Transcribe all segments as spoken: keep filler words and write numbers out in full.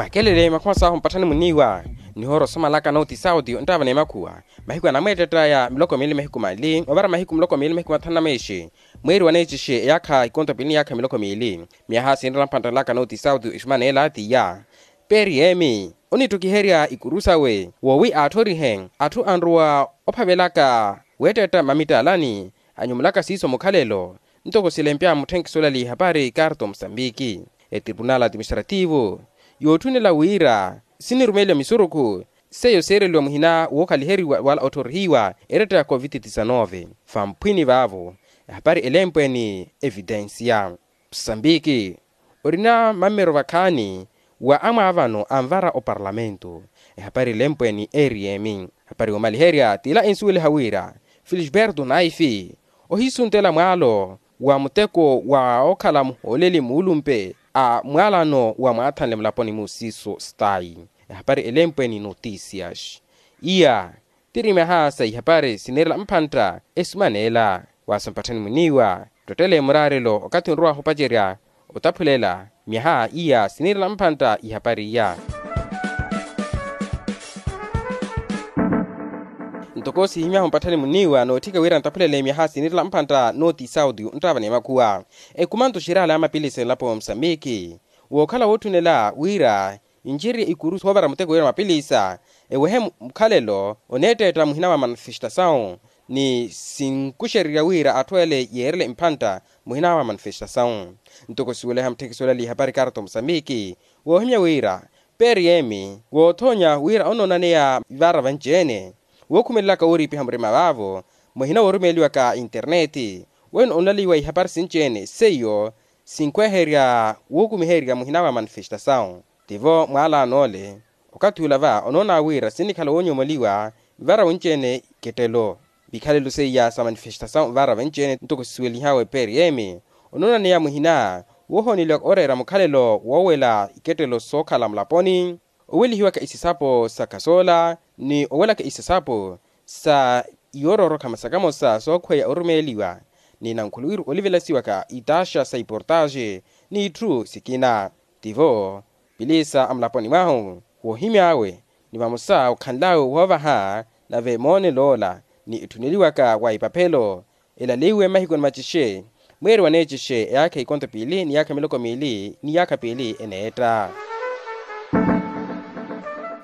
Ekelele makhuma sahu mpatthani muniiwa nihoora osomalaka nooti sauti onttaava n'emakhuwa. Mahiku anamweettetta ya miloko miili mahiku mali ovara mahiku miloko miili mahiku mathanu na meexe mweeri wa neecixe eyaakha ikonto piili ni yaakha miloko miili. Myaha sinirela mpanttalaka nooti sauti ixumaneela tiya. Peeri yeemi onittukiherya ikuru sawe woowi aatthorihe atthu anrowa ophavelaka weettetta mamittaalani anyumulaka siiso mukhalelo. Ntoko silempya mutthenkiso olali ihapari karto musambiki etripunal atiministrativu yootthunela wira sinirumeliwa misurukhu seiyo siireliwa muhina wookhaliheriwa wala otthorihiwa eretta ya covid disanove. Famphwini vaavo ehapari elempweni evitensiya. Musambiki orina mammero vakhaani wa amwaavano anvara oparlamentu. Ehapari elempweni eriyemi ehapari yoomaliherya tila ensuweliha wira felisberto naifi ohiisuntela mwaalo wa muteko wa okhala muhooleli muulumpe a mwaalano wa mwaathanle mulaponi mu siiso stayi. Ehapari elempweni notisias iya tiri myaha sa ihapari siniirela mphantta esumaneela. Waaso mpatthani muniiwa ttottele muraarelo okathi onrowahu opacerya otaphulela myaha iya siniirela mphantta ihapari iya. Ntoko sihimyahu mpatthani muniiwa nootthika wira ntaphulele myaha siniirela mphantta nooti sauti onttaava n'emakhuwa ekumanto xiraala ya mapilisi enlapo musambiki wookhala wootthunela wira incerye ikuru soovara muteko wira mapilisa ewehe mukhalelo oneetteetta muhina wa manifestasawu ni sinkuxererya wira atthu ele yeerele mphantta muhina wa manifestasawu. Ntoko siweleha mutthekiso olali ihapari karto musambiki woohimya wira peeri yeemi woothoonya wira onoonaneya vara vanci-ene wookhumelelaka wooriipiha murima vaavo muhina woorumeeliwaka interneti weno onlaliwa ihapari sinci-ene seiyo sinkhweherya wuukumiherya muhina wa manifestasawu. Tivo mwaalano ole okathi ula va onoona wira sinnikhala woonyomoliwa vara wenci-ene ikettelo vikhalelo seiya sa manifestasawu vara venci-ene ntoko sisuwelihawe prm onoonaneya muhina woohooneliwaka oreera mukhalelo woowela ikettelo sookhala mulaponi owelihiwaka isisapo sa khasoola ni owelaka isisapo sa iyororokha masakamosa sookhweya orumeeliwa ni nankhuluwiru olivelasiwaka itaxa sa iportaxe n'itthu sikina. Tivo pilisa a mulaponi mwahu woohimy'awe ni vamosa okhanl'awe woovaha nave moonel'ola ni etthuneliwaka wa ipaphelo elaliwe mahiku ni macixe mweeri wa neecixe eyaakha ikonto piili ni yaakha miloko miili ni yaakha piili eneetta.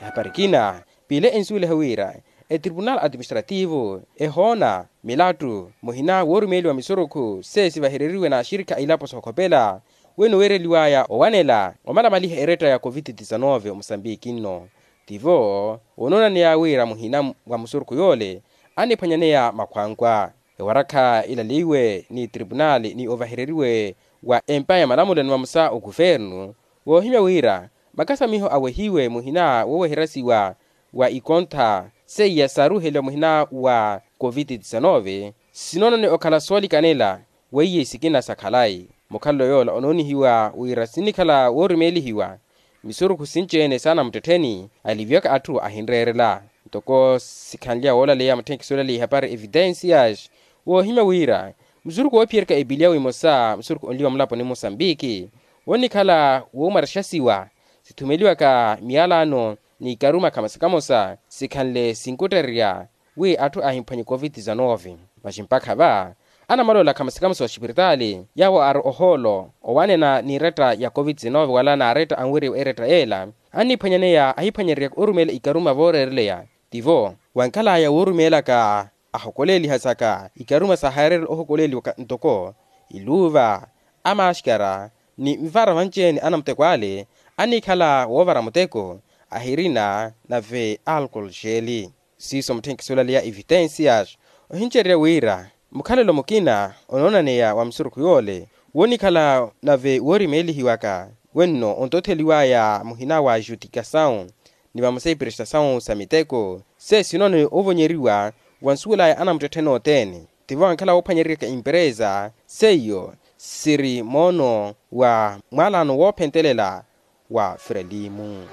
Ehapari ekina piili ensuweliha wira etripunal atiministrativu ehoona milattu muhina woorumeeliwa misurukhu sesivahereriwe n'axirikha a ilapo sookhopela weno weereliwaya owanela omalamaliha eretta ya covid disanove omusambiki nno. Tivo onoonaneya wira muhina wa musurukhu yoole aniphwanyaneya makhwankwa ewarakha ilaliwe ni tripunali ni ovahereriwe wa empa ya malamulo ni vamosa okuvernu woohimya wira makasamiho awehiwe muhina wooweheryasiwa wa ikontha seiya saaruheliwa muhina wa covid disanove sinoonone okhala soolikanela weiye sikina sa khalayi. Mukhalelo yoola onoonihiwa wira sinnikhala woorumeelihiwa misurukhu sinci-ene saana muttettheni aliviwaka atthu ahinreerela ntoko sikhanlya woolaleya mutthenkisi olaleya ihapari evitensias woohimya wira musurukhu woophiyeryaka epiliya wimosa musurukhu onliwa mulaponi musambiki wonnikhala woomarexasiwa sithumeliwaka miyalano ni ikaruma kamosa kamosa sikhanle sinkuttererya wi atthu ahimphwanye covid disanove. Masi mpakha va anamalola kamosa kamosa oxipiritaali yaawo aari ohoolo owanena n'iretta ya covid disanove wala n'aretta anweriwa eretta yeela anniphwanyaneya ahiphwanyereryaka orumeela ikaruma vooreereleya tivo wankhalaya woorumeelaka ahokoleeliha saka ikaruma saahaarerela ohokoleeliwaka ntoko iluuva amaaxkara ni nvara vanci-ene anamuteko ale annikhala woovara muteko ahirina nave alkol xeeli. Siiso mutthenkisi olaleya evitensias ohincererya wira mukhalelo mukina onoonaneya wa musurukhu yoole wonnikhala nave woorimeelihiwaka wenno ontotheliwaya muhina wa jutikasawu ni vamosa iprestasawu sa miteko sesinoone ovonyeriwa wa nsuwel'aya anamuttettheni othene tivo ankhala woophwanyereryaka imperesa seiyo siri moono wa mwaalano woophentelela wa frelimu.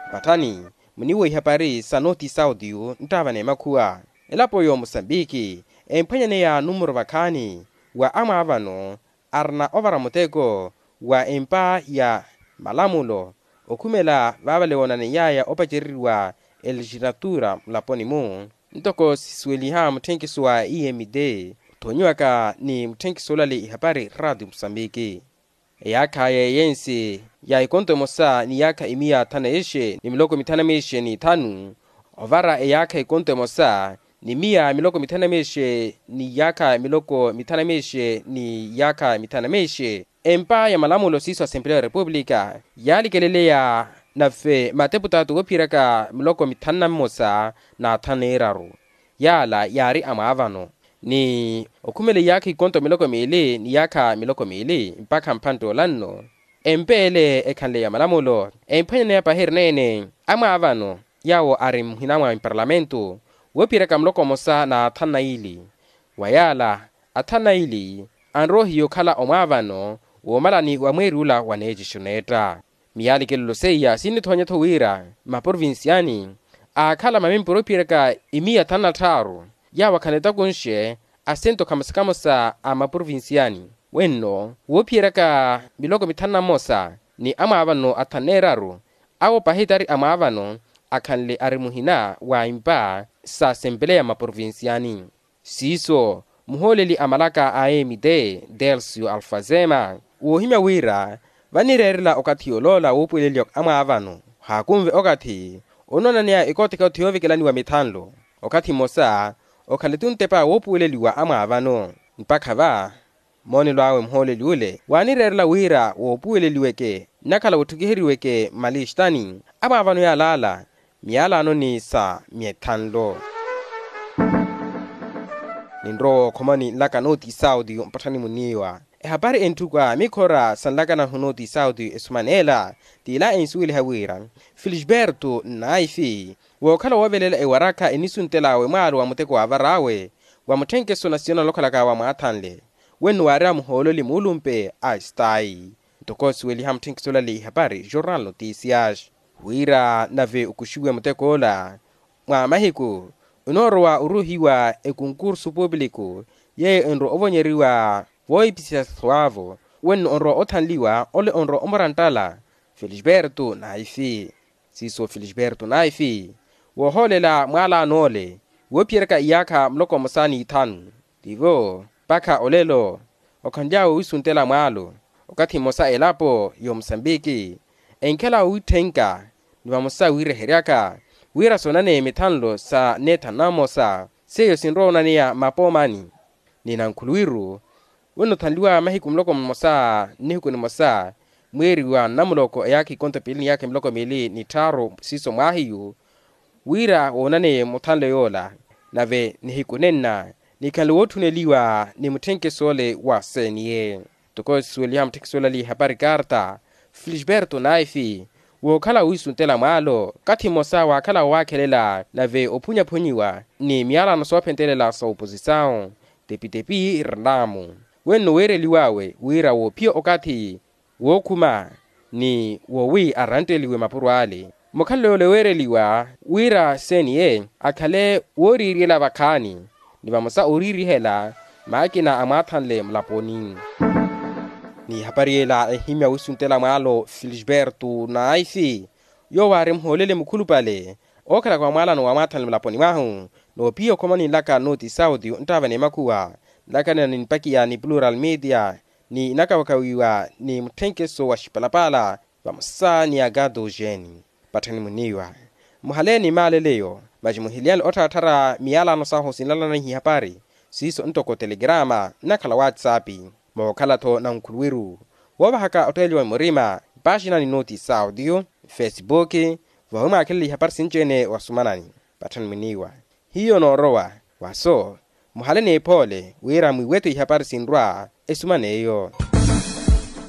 Mpatthani muniiwa ihapari sa noti sauti nttaava n'emakhuwa elapo y'omusambiki emphwanyaneya numuro vakhaani wa amwaavano arina ovara muteko wa empa ya Malamulo okhumela vaavale woonaneiyaya opacereriwa elegislatura mulaponi-mu. Ntoko sisuweliha mutthenkiso wa emd othoonyiwaka ni mutthenkiso olale ihapari rati musambiki, eyaakha ya eyensi ya ikonto emosa ni yaakha imiya thanu na ixe ni miloko mithanu na mixe ni ithanu ovara eyaakha ikonto emosa ni miya miloko mithanu na mixe ni yaakha miloko mithanu na mixe ni yaakha mithanu na mixe. Empa ya malamulo siiso asempeleya ya repupulika yaalikeleleya nave mateputaatu woophiyeraka miloko mithanu na mmosa na thanu na iraru yaala yaari amwaavano ni okhumela iyaakha ikonto miloko miili ni yaakha miloko miili mpakha mphantte olanno. Empa ele ekhanle ya malamulo emphwanyaneya pahi erineene amwaavano yaawo ari muhina mwa emparlamentu woophiyeraka muloko mmosa na thanu na ili. Wa yaala athanu na ili anrowa ohiya okhala omwaavano woomalani wa mweeri ula wa neecexi oneetta. Miyaalikelelo seiya sinnithoonye-tho wira maprovinciani aakhala mamimpuro ophiyeraka imiya thanu na tthaaru yaawo akhala etakunxe asento khamosa-khamosa a maprovinciani wenno woophiyeryaka miloko mithanu na mmosa ni amwaavano athanu na eraru awo pahi tari amwaavano akhanle ari muhina wa impa sa sempeleya maprovinciani. Siiso muhooleli a malaka a emite delsio alfazema woohimya wira vanireerela okathi yooloola woopuweleliwa amwaavano haakunve okathi onoonaneya ekotheka othi yoovekelaniwa mithanlo okathi mmosa okhala etuntepa woopuweleliwa amwaavano. Mpakha va moonelo awe muhooleli ule waanireerela wira woopuweleliweke nnakhala wootthukiheryiweke mmalixtani amwaavano yaalaala miyalaanoni sa mithanlo. Ninrowa okhomani nlaka nooti saudi mpatthani muniiwa ehapari entthuku a mikhora sa nlaka nahu nooti saudi esumaneela t'ila ensuweliha wira felisberto naifi wookhala woovelela ewarakha enisuntel'awe mwaalo wa muteko waavar'awe wa mutthenkeso na siyana olokhalaka wamwaathanle wenno waareya muhooleli muulumpe a estayi. Ntoko osuweliha mutthenkiso olale ihapari jornal notisias wira nave okuxiwe mutek'ola mwa mahiku onoorowa oruuhiwa ekonkursu pupiliku yeeyo enrowa ovonyeriwa voohipisisa swavo wenno onrowa othanliwa ole onrowa omuranttala felisberto naifi. Siiso felisberto naifi woohoolela mwaalaano ole woophiyeryaka iyaakha muloko mmosa n'ithanu tivo mpakha olelo okhanly'awe wiisuntela mwaalo okathi mmosa elapo y'omusambiki enkhala owitthenka ni vamosa wiireheryaka wira soonaneye mithanlo sa neethanu na mmosa seiyo sinrowa onaneya mapoomani. Ni nankhuluwiru onothanliwa mahiku muloko mmosa nnihiku nimosa mweeri wa nnamuloko eyaakha ikonto piili ni yaakha miloko miili ni tthaaru siiso mwaahiyu wira woonaneye muthanlo yoola nave nihiku nenna nikhanle wootthuneliwa ni mutthenkeso ole wa seniye. Ntoko esuweliha mutthenkeso olale ihapari karta felisberto naifi wookhala wiisuntela mwaalo okathi mmosa waakhala woowaakhelela nave ophunyaphunyiwa ni miyalano soophentelela sa oposisawu tepitepi rinamu wenno weereliw'awe wira woophiya okathi wookhuma ni wowi arantteliwe mapuro ale mukhalelo yole weereliwa wira seniye akhale wooriiriyela vakhaani ni vamosa ooriirihela maakina amwaathanle mulaponi. Ni ehapari yela ehimya wiisuntela mwaalo felisberto naifi yoowo aari muhooleli mukhulupale ookhalaka wa mwaalano wamwaathanle mulaponi mwahu noopiya okhomani nlaka nooti saudi nttaavani emakhuwa nlakanena ni mpakiya ni plural media ni inakawakawiwa ni mutthenkeso wa xipalapala vamosa ni agado jeni. Patthani muniiwa muhale ni maaleleyo masi muhiliyani ottharattharya miyalano sahu sinlalana ihapari siiso ntoko telegrama nnakhala whatsapp mookhala-tho nankhuluwiru woovahaka otteeliwa murima mpaxina ni nooti saudi facebook vawi mwaakhelela ihapari sinci-ene wasumanani. Patthani muniiwa hiyo noorowa waso muhale n'ephoole wira mwiiwe-tho ihapari sinrwa esuman'eyo.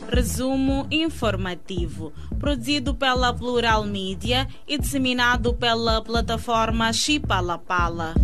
Resumo informativo produzido pela plural media e disseminado pela plataforma xipalapala.